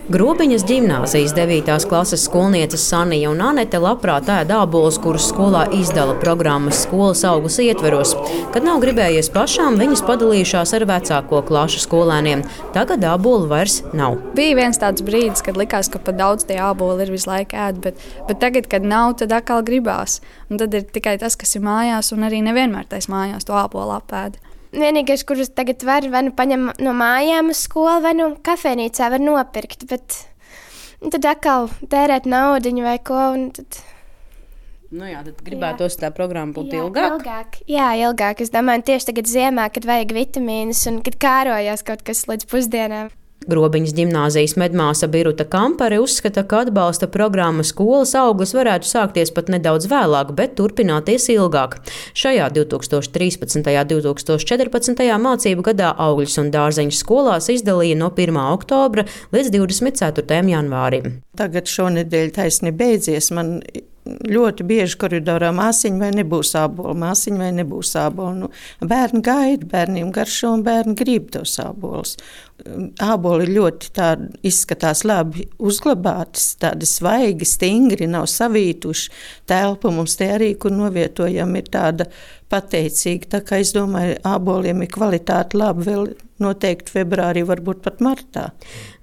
Grobiņas ģimnāzijas 9. klases skolnieces Sanija un Anete labprāt ēd ābolus, kurus skolā izdala programmas skolas augļus ietveros. Kad nav gribējies pašām, viņas padalījušās ar vecāko klašu skolēniem. Tagad ābolu vairs nav. Bija viens tāds brīdis, kad likās, ka pat daudz tie āboli ir visu laiku ēd, bet tagad, kad nav, tad atkal gribās. Un tad ir tikai tas, kas ir mājās, un arī nevienmēr tais mājās to ābolu apēd. Vienīgais, kurus tagad var paņem no mājām uz skolu, vai no kafejnīcā var nopirkt, bet tad atkal tērēt naudiņu vai ko. Tad gribētos tā programma būt ilgāk? Jā, ilgāk. Es domāju, tieši tagad ziemā, kad vajag vitamīnus un kad kārojās kaut kas līdz pusdienām. Grobiņas ģimnāzijas medmāsa Biruta Kampare uzskata, ka atbalsta programma skolas augļus varētu sākties pat nedaudz vēlāk, bet turpināties ilgāk. Šajā 2013. un 2014. mācību gadā augļus un dārzeņus skolās izdalīja no 1. oktobra līdz 24. janvārim. Tagad šonedēļ taisni beidzies. Man ļoti bieži koridorā māsiņa vai nebūs ābolu, māsiņa vai nebūs ābolu. Bērni gaida, bērniem garšo un bērni grib tos ābolus. Āboli ļoti tādi izskatās labi uzglabāti, tādi svaigi, stingri, nav savītuši. Telpa mums te arī, kur novietojam, ir tāda pateicīga. Tā kā es domāju, āboliem ir kvalitāte labi vēl noteikti februārī, varbūt pat martā.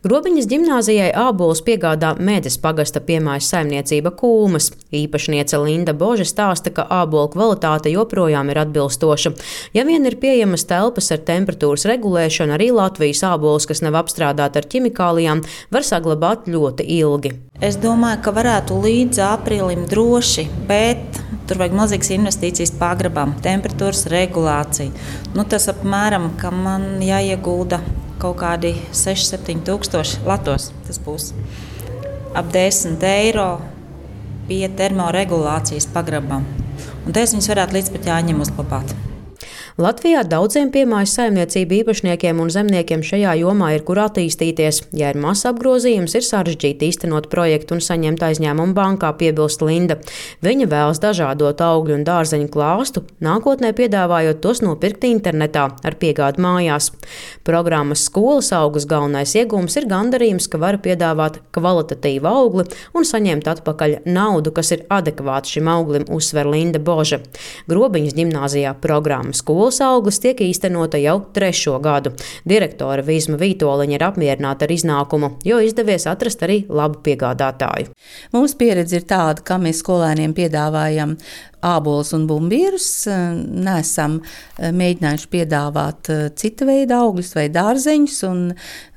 Grobiņas ģimnāzijai ābolus piegādā Mēdes pagasta piemājas saimniecība Kūmas. Īpašniece Linda Boža stāsta, ka ābolu kvalitāte joprojām ir atbilstoša. Ja vien ir pieejamas telpas ar temperatūras regulēšanu, arī Latvijas ābolus, kas nav apstrādāti ar ķimikālijām, var saglabāt ļoti ilgi. Es domāju, ka varētu līdz aprīlim droši, bet tur vajag milzīgas investīcijas pagrabām, temperatūras regulācija. Tas apmēram, ka man jāiegulda kaut kādi 6-7 tūkstoši latos. Tas būs ap 10 eiro pie termoregulācijas pagrabām. Un te viņus varētu līdz pat jāņem uzglabāt. Latvijā daudziem piemājas saimniecību īpašniekiem un zemniekiem šajā jomā ir kur attīstīties. Ja ir mazs apgrozījums, ir sarežģīti īstenot projektu un saņemt aizņēmumu bankā, piebilst Linda. Viņa vēlas dažādot augļu un dārzeņu klāstu, nākotnē piedāvājot tos nopirkt internetā ar piegādi mājās. Programmas skolas augļus galvenais iegūms ir gandarījums, ka var piedāvāt kvalitatīvu augli un saņemt atpakaļ naudu, kas ir adekvāta šim auglim, uzsver Linda Boža. Grobiņas ģimnāzijā programma skolas augļus tiek īstenota jau 3. gadu. Direktore Vīsma Vītoliņa ir apmierināta ar iznākumu, jo izdevies atrast arī labu piegādātāju. Mūsu pieredze ir tāda, ka mēs skolēniem piedāvājam ābolus un bumbierus. Nesam mēģinājuši piedāvāt cita veida augļus vai dārzeņus.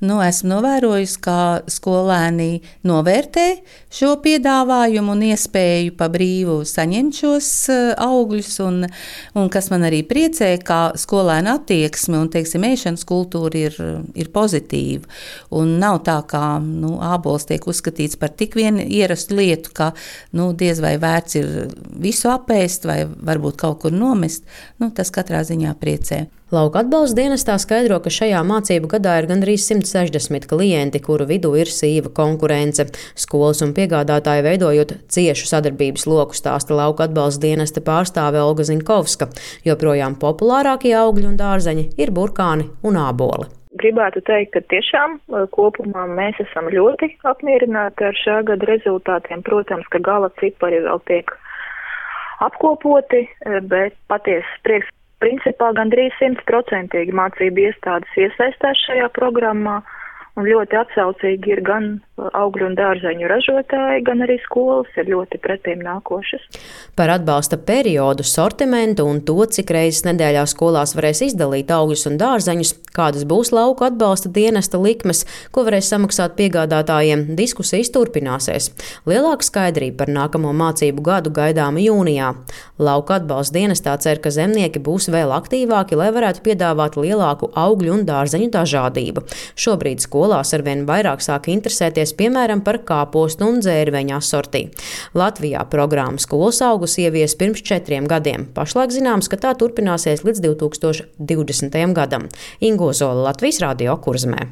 Esmu novērojusi, ka skolēni novērtē šo piedāvājumu un iespēju pa brīvu saņemt šos augļus. Un kas man arī priecē, ka skolēnu attieksme un, ēšanas kultūra ir pozitīva. Un nav tā, ka ābols tiek uzskatīts par tik vienu ierastu lietu, ka diez vai vērts ir visu apēst vai varbūt kaut kur nomest. Tas katrā ziņā priecē. Lauka atbalsta dienestā skaidro, ka šajā mācību gadā ir gandrīz 160 klienti, kuru vidū ir sīva konkurence. Skolas un piegādātāji veidojot ciešu sadarbības loku, stāsta Lauka atbalsta dienesta pārstāve Olga Zinkovska. Joprojām populārākie augļi un dārzeņi ir burkāni un āboli. Gribētu teikt, ka tiešām kopumā mēs esam ļoti apmierināti ar šā gada rezultātiem. Protams, ka gala cipari vēl tiek apkopoti, bet patiesi prieks. Principā gandrīz 100% mācību iestādes iesaistās šajā programmā, un ļoti atsaucīgi ir gan augļu un dārzeņu ražotāji, gan arī skolas ir ļoti pretīm nākošas. Par atbalsta periodu, sortimentu un to, cik reizes nedēļā skolās varēs izdalīt augļus un dārzeņus, kādas būs lauku atbalsta dienesta likmes, ko varēs samaksāt piegādātājiem, diskusijas turpināsies. Lielāka skaidrība par nākamo mācību gadu gaidāma jūnijā. Lauku atbalsta dienestā cer, ka zemnieki būs vēl aktīvāki, lai varētu piedāvāt lielāku augļu un dārzeņu dažādību. Šobrīd skolās arvien vairāk sāk interesēties, piemēram, par kāpostu un dzērveņu asortī. Latvijā programma skolas augus ievies pirms 4 gadiem. Pašlaik zināms, ka tā turpināsies līdz 2020. gadam. Ingo Zola, Latvijas Radio, Kurzemē.